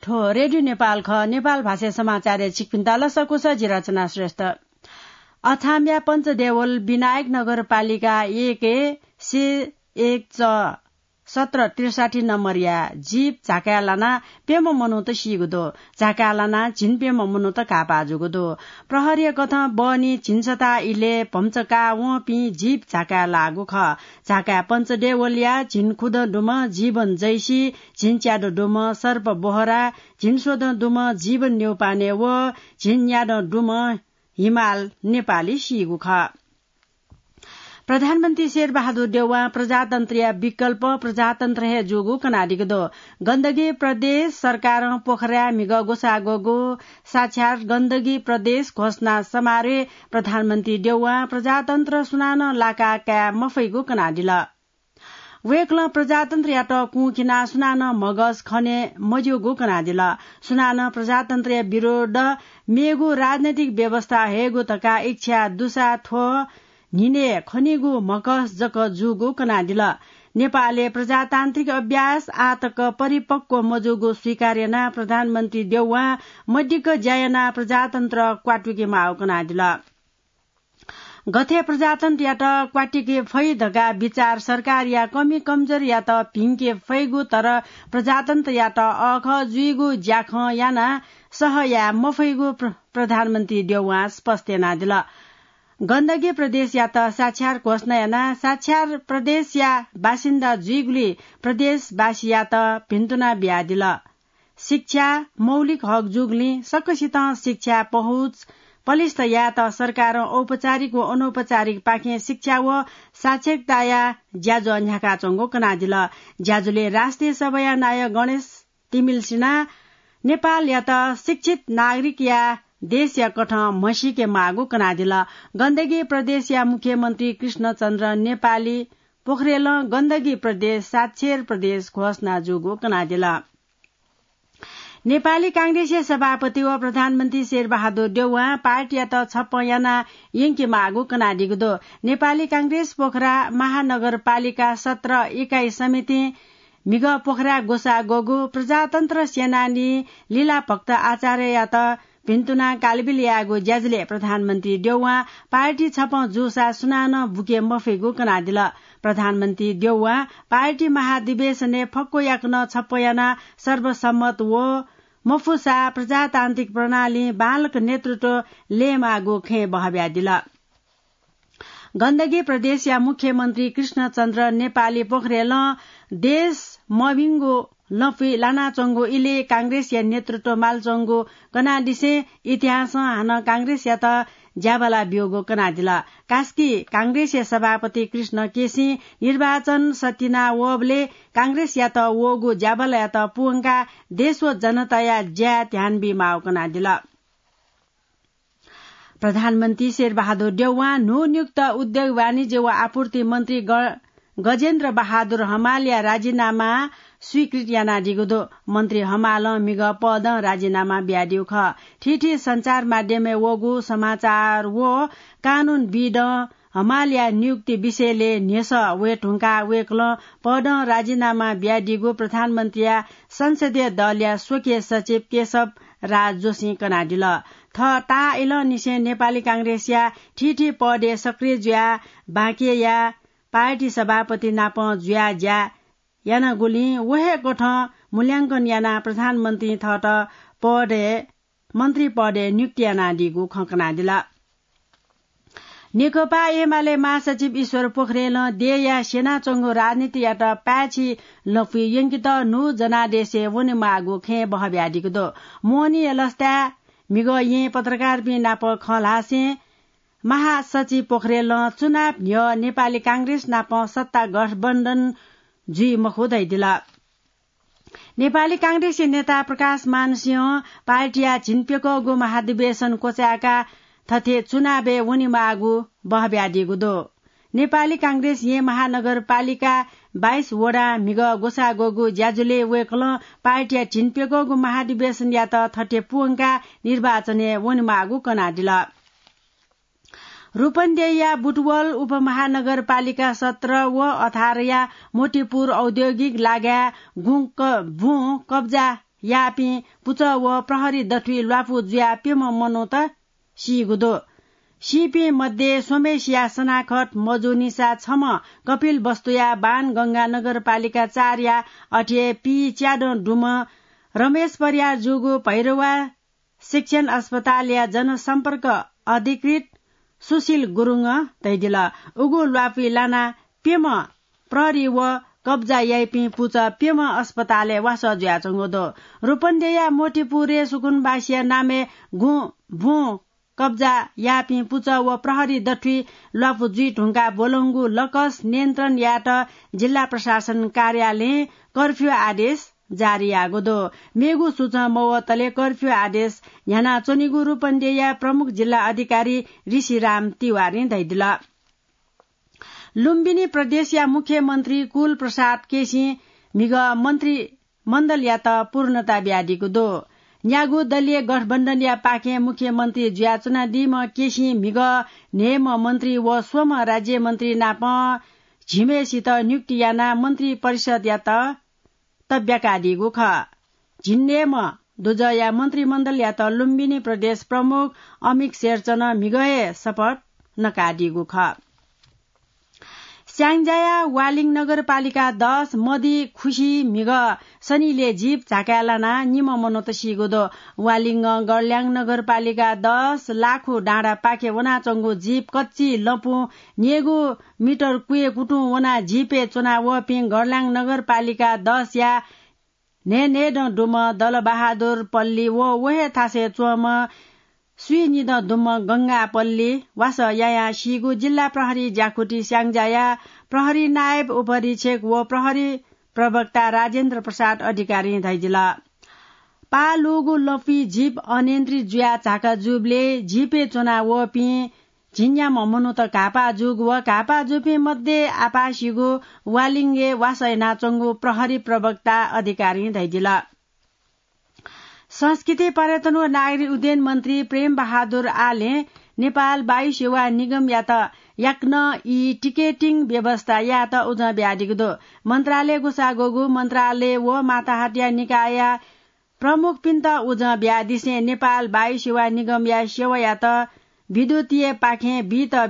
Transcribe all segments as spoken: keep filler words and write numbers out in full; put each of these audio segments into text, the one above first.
थ्व रेडियो नेपाल खः। नेपाल भाषाय् समाचारय् छिकपिन्त लसकुस, जि रचना श्रेष्ठ। अछामया पञ्चदेवल विनायक नगरपालिका एक से एक च सत्र त्रिसठी नम्बरया जीप झाकाय् लानाः प्यम्ह मनूत सीगु दु। झाकाय् लानाः झिंप्यम्ह मनूत घाःपाः जूगु दु। प्रहरीया कथं बहनी झिंसताः इलय् भम्चा काः वंपिं जीप झाकाय् लाःगु खः। झाकाय् पञ्चदेवलया झिंखुदँ दुम्ह जीवन जैसी, झिंच्यादँ दुम्ह सर्प बोहरा, झिंस्वदँ दुम्ह जीवन न्यौपाने व झिंन्यादँ दुम्ह हिमाल नेपाली सीगु खः। प्रधानमन्त्री शेरबहादुर देउवां प्रजातन्त्रया विकल्प प्रजातन्त्र हे जूगु कनादीगु दु। गण्डकी प्रदेश सरकारं पोखराय् म्हिगः ग्वसाः ग्वःगु साक्षात् गण्डकी प्रदेश घोषणा समारोहय् प्रधानमन्त्री देउवां प्रजातन्त्र सुनानं लाका काये मफइगु कनादिल। वय्कलं प्रजातन्त्रयात कुंखिनाः सुनानं म्हगस खने मज्यूगु कनादिल। सुनानं प्रजातन्त्रया विरोध मेगु राजनैतिक व्यवस्था हयेगु धकाः इच्छा दुसा थ्व न्हिनय् खनीगु म्हगस जक जूगु कनादिल। नेपालय् प्रजातान्त्रिक अभ्यास आः तक परिपक्व मजूगु स्वीकार यानाः प्रधानमन्त्री देउवां मदिक्क ज्या यानाः प्रजातन्त्र क्वातुके माःगु कनादिल। गथे प्रजातन्त्रयात क्वातिके फइ धकाः विचार सरकारया कमी कमजोरीयात भिंके फइगु, तर प्रजातन्त्रयात अःखः जुइगु ज्याखँ यानाः सह याये मफइगु प्र-, प्रधानमन्त्री देउवां स्पष्ट यानादिल। गण्डकी प्रदेशयात साक्षात् घोषणा यानाः साक्षात् प्रदेशया बासिन्दा जुइगुली प्रदेशवासीयात भिन्तुना बियादिल। शिक्षा मौलिक हक जूगुलिं सकसितं शिक्षा पहुँच पलिस्थ यायेत सरकारं औपचारिक व अनौपचारिक पाखें शिक्षा व साक्षरताया ज्याझ्वः न्ह्याकाच्वंगु कनादिल। ज्याझ्वलय् राष्ट्रिय सभाया नायः गणेश तिमिल्सिनां नेपालयात शिक्षित नागरिकया देशया कथं म्हसीके माःगु कनादिल। गण्डकी प्रदेशया मुख्यमन्त्री कृष्णचन्द्र नेपाली पोखरेलं गण्डकी प्रदेश साक्षर प्रदेश घोषणा जूगु कनादिल। नेपाली कांग्रेसया सभापति व प्रधानमन्त्री शेरबहादुर देउवां पार्टीयात छप्पँ याना यंके माःगु कनादीगु दु। नेपाली कांग्रेस पोखरा महानगरपालिका सत्र इकाई समितिं म्हिगः पोखराय् ग्वसाः ग्वःगु प्रजातन्त्र सेनानी लीलाभक्त आचार्ययात भिन्तुना कालबिल यायेगु ज्याझ्वलय् प्रधानमन्त्री देउवां पार्टी छप्पँ जूसा सुनानं बुके मफइगु कनादिल। प्रधानमन्त्री देउवां पार्टी महाधिवेशनय् फक्व याकनं छप्पँ यानाः सर्वसम्मत व मफुसा प्रजातान्त्रिक प्रणालीं बांलाक नेतृत्व लयेमाःगु खँय् बहःबियादिल। गण्डकी प्रदेशया मुख्यमन्त्री कृष्णचन्द्र नेपाली पोखरेलं देश मभिंगु लँपुइ लानाच्वंगु इलय् कांग्रेसया नेतृत्व मालच्वंगु कनादिसें इतिहासं हानं कांग्रेसयात ज्याबाला ब्यूगु कनादिल। कास्की कांग्रेसया सभापति कृष्ण केसीं निर्वाचन सतिना वःबलय् कांग्रेसयात वःगु ज्याबालायात पूवंकाः देश व जनताया ज्याय् ध्यान बीमाःगु कनादिल। प्रधानमन्त्री शेरबहादुर देउवां न्हून्युक्त उद्योग, वाणिज्य व आपूर्ति मन्त्री ग-, गजेन्द्र बहादुर हमालया राजीनामा स्वीकृत यानादीगु दु। मन्त्री हमालं म्हिगः पदं राजीनामा बियादीगु खः। थीथी सञ्चार माध्यमय् वःगु समाचार व कानूनविदं हमालया नियुक्ति विषयलय् न्ह्यसः वये धुंकाः वय्कलं पदं राजीनामा बियादीगु प्रधानमन्त्रीया संसदीय दलया स्वकीय सचिव केशव राज जोशीं कनादिल। थः ताःइलंनिसें नेपाली कांग्रेसया थीथी पदय् सक्रिय जुयाः बाँके याः पार्टी सभापति नाप जुयाः ज्या यानागुलिं व हे कथं मूल्यांकन यानाः प्रधानमन्त्रीं थःत पदय्, मन्त्री पदय् नियुक्ति यानादीगु खँ कनादिल। नेकपा एमाले महासचिव ईश्वर पोखरेलं देय्‌या स्यनाच्वंगु राजनीतियात पाय्‌छि लँपुइ यंकेत न्हू जनादेशय् वनेमाःगु खँय् बहःबियादीगु दु। मोहनीया लसताय् म्हिगः येँय् पत्रकारपिं नाप खँ ल्हासें महासचिव पोखरेलं चुनाव न्ह्यः नेपाली कांग्रेस नाप सत्ता गठबन्धन जुइ मखु धयादिल। नेपाली कांग्रेसया नेता प्रकाशमान सिंहं पार्टीया झिंप्यकःगु महाधिवेशन क्वचाय्‌काः थथे चुनावय् वनेमाःगु बहःबियादीगु दु। नेपाली कांग्रेस येँ महानगरपालिका बाइस वडां म्हिगः ग्वसाः ग्वःगु ज्याझ्वलय् वय्‌कलं पार्टीया झिंप्यकःगु महाधिवेशनयात थथे पूवंकाः निर्वाचनय् वनेमाःगु कनादिल। रूपन्देहीया बुटवल उपमहानगरपालिका सत्र व अठारया मोतीपुर औद्योगिक लागाय् गुँ क-, बुँ कब्जा याःपिं पुचः व प्रहरी दथुइ ल्वापु जुयाः प्यम्ह मनूत सीगु दु। सीपिं मध्ये स्वम्हेसिया सनाखत मजूनिसा छम्ह कपिलवस्तुया बाणगंगा नगरपालिका चारया अथे हे पीच्यादँ दुम्ह रमेश परियार जूगु भैरवा शिक्षण अस्पतालया जनसम्पर्क अधिकृत सुशील गुरुङं धयादिल। उगु ल्वापुइ लानाः प्यम्ह प्रहरी व कब्जा याइपिं पुचः प्यम्ह अस्पतालय् वासः जुयाच्वंगु दु। रूपन्देहीया मोतीपुरय् सुकुनबासीया नामय् गुँ बुँ कब्जा याःपिं पुचः व प्रहरी दथुइ ल्वापु जुइ धुंकाः ब्वलंगु लकस नियन्त्रण यायेत जिल्ला प्रशासन कार्यालयं कर्फ्यू आदेश जारी याःगु दु। मेगु सूचं मवतले कर्फ्यू आदेश न्ह्यानाच्वनीगु रूपन्देहीया प्रमुख जिल्ला अधिकारी ऋषिराम तिवारीं धयादिल। लुम्बिनी प्रदेशया मुख्यमन्त्री कुल प्रसाद केसीं म्हिगः मन्त्रीमण्डलयात पूर्णता बियादीगु दु। न्यागू दलीय गठबन्धनया पाखें मुख्यमन्त्री जुयाच्वनादीम्ह केसीं म्हिगः न्हय्म्ह मन्त्री व स्वम्ह राज्यमन्त्री नाप झिम्हेसित नियुक्ति यानाः मन्त्री परिषदयात तब्याकादीगु खः। झिंन्हय्म्ह दुजःया मन्त्रीमण्डलयात लुम्बिनी प्रदेश प्रमुख अमिक शेरचनं म्हिगः हे शपथ नकादीगु खः। स्याङ्जाया वालिङ नगरपालिका दस मदि खुसी म्हिगः सनिले जीप झाकाय् लानाः निम्ह मनूत सीगु दु। वालिङं गरल्याङ नगरपालिका दस लाखु डाँडापाखे वनाच्वंगु जीप कच्ची लँपुं न्येगू मिटर क्वय् कुतुं वनाः जीपय् च्वना वःपिं गरल्याङ नगरपालिका दसया न्हय्न्हय्दँ दुम्ह दलबहादुर पल्ली व व हे थासय् च्वंम्ह स्वीनिदँ दुम्ह गंगा पल्ली वासः यायां सीगु जिल्ला प्रहरी ज्याकुथि स्याङ्जाया प्रहरी नायब उपरीक्षक व प्रहरी प्रवक्ता राजेन्द्र प्रसाद अधिकारीं धयादिल। पाः लूगु लँपुइ जीप अनियन्त्रित जुयाः झाका जूबलय् जीपय् च्वना वःपिं झिंन्याम्ह मनूत घाःपाः जूगु व घाःपाः जूपिं मध्ये आपाः सीगु वालिङय् वासः यानाच्वंगु प्रहरी प्रवक्ता अधिकारीं धयादिल। संस्कृति, पर्यटन व नागरिक उड्डयन मन्त्री प्रेम बहादुर आलें नेपाल वायु सेवा निगमयात याकनं ई टिकेटिङ व्यवस्था यायेत उजं बियादीगु दु। मन्त्रालय ग्वसाः ग्वःगु मन्त्रालय व माताहतया निकायया प्रमुखपिन्त उजं बियादिसें नेपाल वायु सेवा निगमया सेवायात विद्युतीय पाखें बीत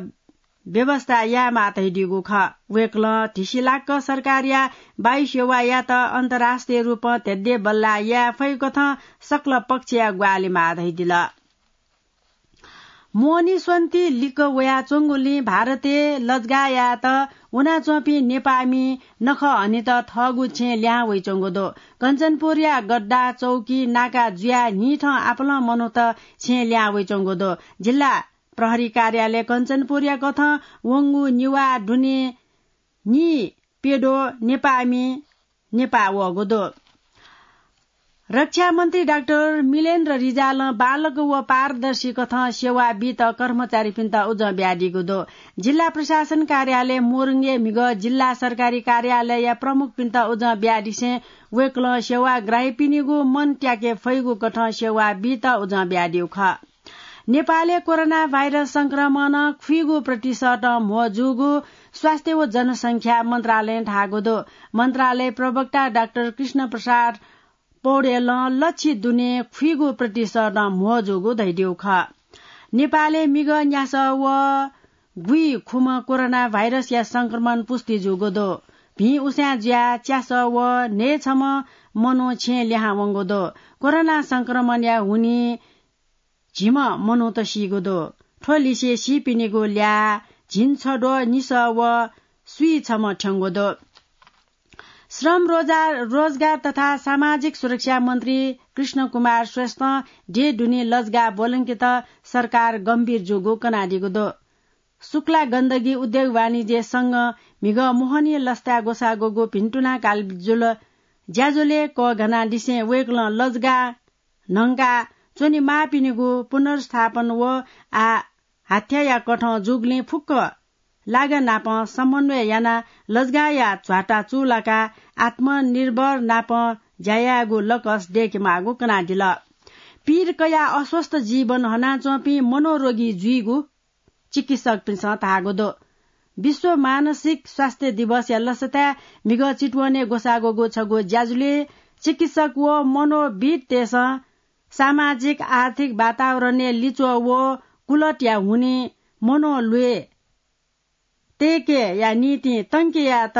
व्यवस्था यायेमाः धयादीगु खः। वय्कलं धिसिलाक्क सरकारया वायु सेवायात अन्तर्राष्ट्रिय रूपं धेद्यबल्लाः याये फइकथं सकल पक्षया ग्वाहालि माः धयादिल। मोहनी स्वन्ति लिक्क वयाच्वंगुलिं भारतय् लजगाः यायेत वनाच्वंपिं नेपाःमि नखः हनेत थःगु छेँ लिहां वइच्वंगु दु। कञ्चनपुरया गड्डा चौकी नाका जुयाः न्हिथं आपालं मनूत छेँ लिहां वइच्वंगु दु। जिल्ला प्रहरी कार्यालय कञ्चनपुरया कथं वंगु निवाः दुने नीप्यद्वः नेपाःमि नेपाः वःगु दु। रक्षा मन्त्री डाक्टर मिलेन्द्र रिजालं बांलाक व पारदर्शी कथं सेवा बीत कर्मचारीपिन्त उजं बियादीगु दु। जिल्ला प्रशासन कार्यालय मोरङय् म्हिगः जिल्ला सरकारी कार्यालयया प्रमुखपिन्त उजं बियादिसें वय्कलं सेवाग्राहीपिनिगु मन त्याके फइगु कथं सेवा बीत उजं बियादीगु खः। नेपालय् कोरोना भाइरस संक्रमणं खुइगू प्रतिशतं म्हो जूगु स्वास्थ्य व जनसंख्या मन्त्रालयं धाःगु दु। मन्त्रालय प्रवक्ता डाक्टर कृष्ण प्रसाद पौडेलं लच्छि दुने खुइगू प्रतिशतं म्हो जूगु धयादीगु खः। नेपालय् म्हिगः न्यासः व गुइखुम्ह कोरोना भाइरसया संक्रमण पुष्टि जूगु दु। भिं उसाँय् जुयाः च्यासः व न्हय्छम्ह मनू छेँ लिहां वंगु दु। कोरोना संक्रमणया हुनिं झिम्ह मनूत सीगु दु। थ्व लिसे सीपिनिगु ल्याः झिंछद्वः निसः व स्वीछम्ह थ्यंगु दु। श्रम रोजा-, रोजगार तथा सामाजिक सुरक्षा मन्त्री कृष्ण कुमार श्रेष्ठं देय् दुने लजगाः ब्वलंकेत सरकार गम्भीर जूगु कनादीगु दु। शुक्ला गण्डकी उद्योग वाणिज्य संघं म्हिगः मोहनी लसताय् ग्वसाः ग्वःगु भिन्तुना कालजुल ज्याझ्वलय् कःघानादिसें वय्कलं लजगाः न्हंका च्वनेमाःपिनिगु पुनर्स्थापन व आः हाथ्याया कथं जूगुलिं फुक्क लागा नाप समन्वय यानाः लजगाःया झ्वाता चूलाकाः आत्मनिर्भर नाप ज्या यायेगु लकस दय्केमाःगु कनादिल। पीर कयाः अस्वस्थ जीवन हनाच्वंपिं मनोरोगी जुइगु चिकित्सकपिन्सं धाःगु दु। विश्व मानसिक स्वास्थ्य दिवसया लसताय् म्हिगः चितवनय् ग्वसाः ग्वःगु छगू ज्याझ्वलय् चिकित्सक व मनोविदतय्सं सामाजिक आर्थिक वातावरणय् लिच्वः व कुलतया हुनिं मनोल्वय् तय्केया निंतिं तंकेयात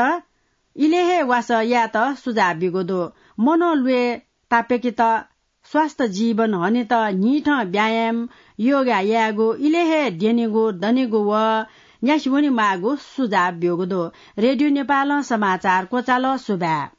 इलय् हे वासः यायेत सुझाव ब्यूगु दु। मनोल्वय् तापाकेत स्वस्थ जीवन हनेत न्हिथं व्यायाम, योगा यायेगु, इलय् हे द्यनेगु, दनेगु व न्यासि वनेमाःगु सुझाव ब्यूगु दु। रेडियो नेपालं समाचार क्वचाल। सुभाय्।